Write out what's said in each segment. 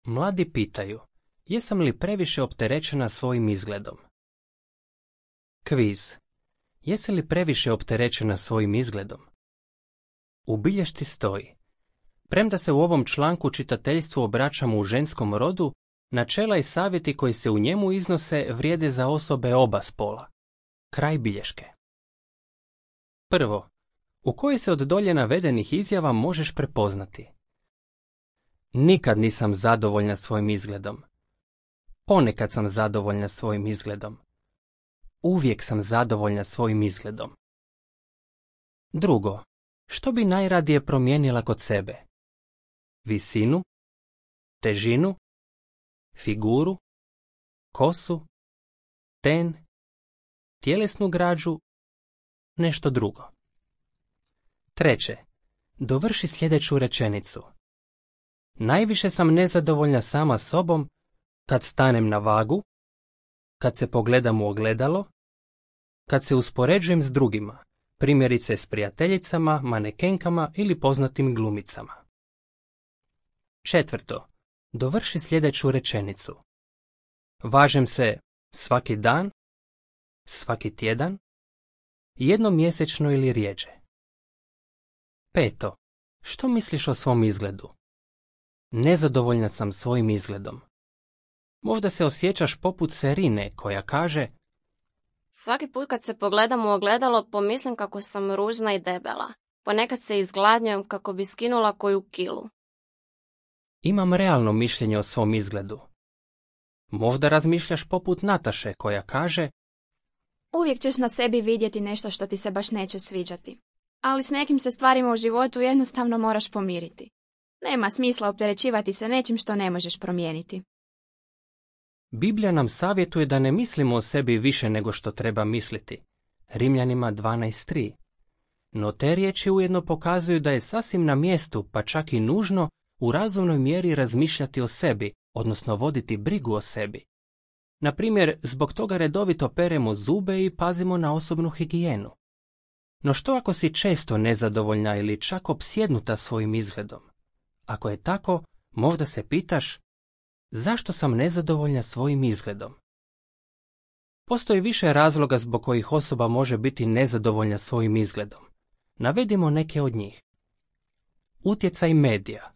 Mladi pitaju, jesam li previše opterećena svojim izgledom? Kviz. Jesi li previše opterećena svojim izgledom? U bilješci stoji: premda se u ovom članku čitateljstvu obraćamo u ženskom rodu, načela i savjeti koji se u njemu iznose vrijede za osobe oba spola. Kraj bilješke. Prvo, u kojoj se od dolje navedenih izjava možeš prepoznati? Nikad nisam zadovoljna svojim izgledom. Ponekad sam zadovoljna svojim izgledom. Uvijek sam zadovoljna svojim izgledom. Drugo, što bi najradije promijenila kod sebe? Visinu, težinu, figuru, kosu, ten, tjelesnu građu, nešto drugo. Treće, dovrši sljedeću rečenicu. Najviše sam nezadovoljna sama sobom kad stanem na vagu, kad se pogledam u ogledalo, kad se uspoređujem s drugima, primjerice s prijateljicama, manekenkama ili poznatim glumicama. Četvrto, dovrši sljedeću rečenicu. Važem se svaki dan, svaki tjedan, jednom mjesečno ili rjeđe. Peto, što misliš o svom izgledu? Nezadovoljna sam svojim izgledom. Možda se osjećaš poput Serine koja kaže: svaki put kad se pogledam u ogledalo pomislim kako sam ružna i debela. Ponekad se izgladnjujem kako bi skinula koju kilu. Imam realno mišljenje o svom izgledu. Možda razmišljaš poput Nataše koja kaže: uvijek ćeš na sebi vidjeti nešto što ti se baš neće sviđati. Ali s nekim se stvarima u životu jednostavno moraš pomiriti. Nema smisla opterećivati se nečim što ne možeš promijeniti. Biblija nam savjetuje da ne mislimo o sebi više nego što treba misliti. Rimljanima 12.3. No te riječi ujedno pokazuju da je sasvim na mjestu, pa čak i nužno, u razumnoj mjeri razmišljati o sebi, odnosno voditi brigu o sebi. Na primjer, zbog toga redovito peremo zube i pazimo na osobnu higijenu. No što ako si često nezadovoljna ili čak opsjednuta svojim izgledom? Ako je tako, možda se pitaš: zašto sam nezadovoljna svojim izgledom? Postoji više razloga zbog kojih osoba može biti nezadovoljna svojim izgledom. Navedimo neke od njih. Utjecaj medija.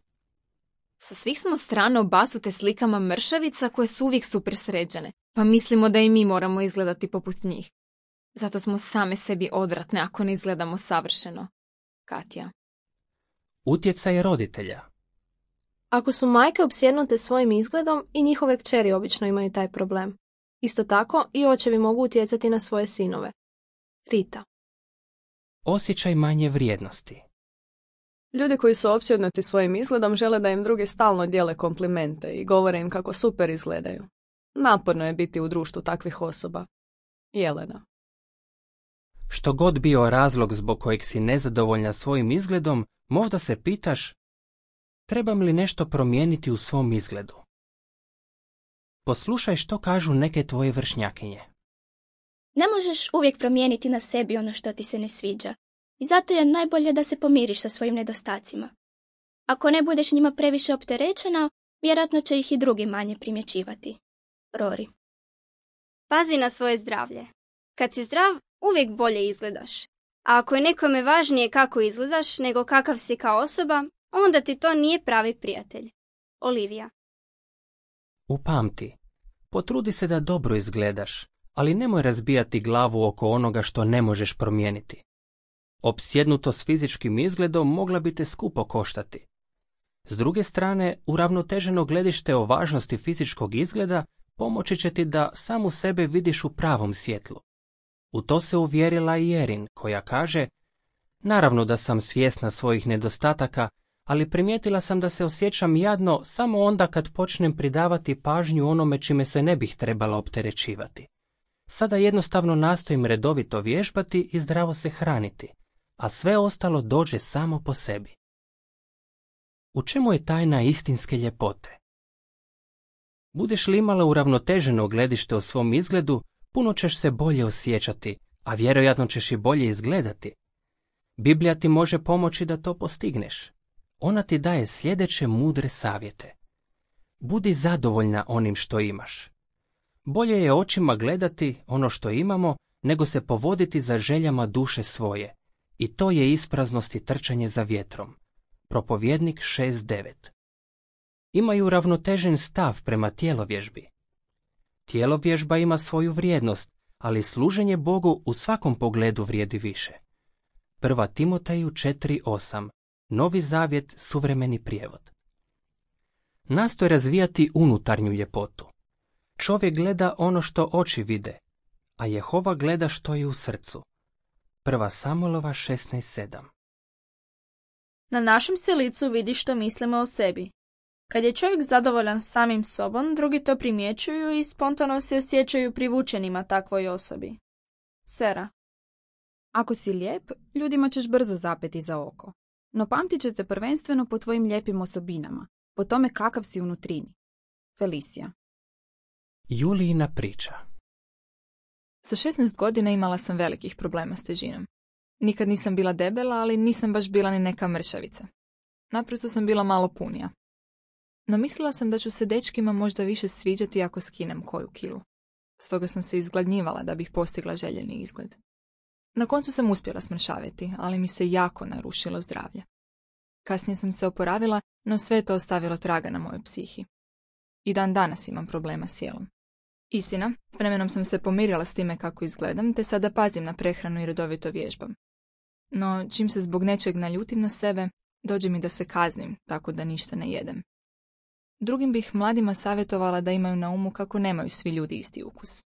Sa svih smo strana obasute slikama mršavica koje su uvijek super sređene, pa mislimo da i mi moramo izgledati poput njih. Zato smo same sebi odvratne ako ne izgledamo savršeno. Katja. Utjecaj roditelja. Ako su majke opsjednute svojim izgledom, i njihove kćeri obično imaju taj problem. Isto tako i očevi mogu utjecati na svoje sinove. Rita. Osjećaj manje vrijednosti. Ljudi koji su opsjednuti svojim izgledom žele da im drugi stalno dijele komplimente i govore im kako super izgledaju. Naporno je biti u društvu takvih osoba. Jelena. Što god bio razlog zbog kojeg si nezadovoljna svojim izgledom, možda se pitaš: trebam li nešto promijeniti u svom izgledu? Poslušaj što kažu neke tvoje vršnjakinje. Ne možeš uvijek promijeniti na sebi ono što ti se ne sviđa. I zato je najbolje da se pomiriš sa svojim nedostacima. Ako ne budeš njima previše opterećena, vjerojatno će ih i drugi manje primjećivati. Rory. Pazi na svoje zdravlje. Kad si zdrav, uvijek bolje izgledaš. A ako je nekome važnije kako izgledaš nego kakav si kao osoba, onda ti to nije pravi prijatelj. Olivija. Upamti, potrudi se da dobro izgledaš, ali nemoj razbijati glavu oko onoga što ne možeš promijeniti. Opsjednutost fizičkim izgledom mogla bi te skupo koštati. S druge strane, uravnoteženo gledište o važnosti fizičkog izgleda pomoći će ti da samu sebe vidiš u pravom svjetlu. U to se uvjerila i Erin, koja kaže: naravno da sam svjesna svojih nedostataka, ali primijetila sam da se osjećam jadno samo onda kad počnem pridavati pažnju onome čime se ne bih trebala opterećivati. Sada jednostavno nastojim redovito vježbati i zdravo se hraniti, a sve ostalo dođe samo po sebi. U čemu je tajna istinske ljepote? Budeš li imala uravnoteženo gledište o svom izgledu, puno ćeš se bolje osjećati, a vjerojatno ćeš i bolje izgledati. Biblija ti može pomoći da to postigneš. Ona ti daje sljedeće mudre savjete. Budi zadovoljna onim što imaš. Bolje je očima gledati ono što imamo, nego se povoditi za željama duše svoje. I to je ispraznost i trčanje za vjetrom. Propovjednik 6.9. Imaju ravnotežen stav prema tjelovježbi. Tjelovježba ima svoju vrijednost, ali služenje Bogu u svakom pogledu vrijedi više. 1. Timoteju 4.8. Novi zavjet, suvremeni prijevod. Nastoj razvijati unutarnju ljepotu. Čovjek gleda ono što oči vide, a Jehova gleda što je u srcu. 1. Samuelova 16.7. Na našem se licu vidi što mislimo o sebi. Kad je čovjek zadovoljan samim sobom, drugi to primjećuju i spontano se osjećaju privučenima takvoj osobi. Sera. Ako si lijep, ljudima ćeš brzo zapeti za oko. No pamtit će te prvenstveno po tvojim lijepim osobinama, po tome kakav si unutrini. Felicija. Julijina priča. Sa 16 godina imala sam velikih problema s težinom. Nikad nisam bila debela, ali nisam baš bila ni neka mršavica. Naprosto sam bila malo punija. No mislila sam da ću se dečkima možda više sviđati ako skinem koju kilu. Stoga sam se izgladnjivala da bih postigla željeni izgled. Na koncu sam uspjela smršaviti, ali mi se jako narušilo zdravlje. Kasnije sam se oporavila, no sve je to ostavilo traga na mojoj psihi. I dan danas imam problema s jelom. Istina, s vremenom sam se pomirila s time kako izgledam, te sada pazim na prehranu i redovito vježbam. No, čim se zbog nečeg naljutim na sebe, dođe mi da se kaznim, tako da ništa ne jedem. Drugim bih mladima savjetovala da imaju na umu kako nemaju svi ljudi isti ukus.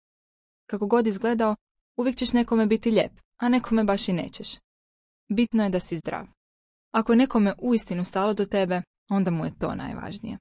Kako god izgledao, uvijek ćeš nekome biti lijep, a nekome baš i nećeš. Bitno je da si zdrav. Ako je nekome uistinu stalo do tebe, onda mu je to najvažnije.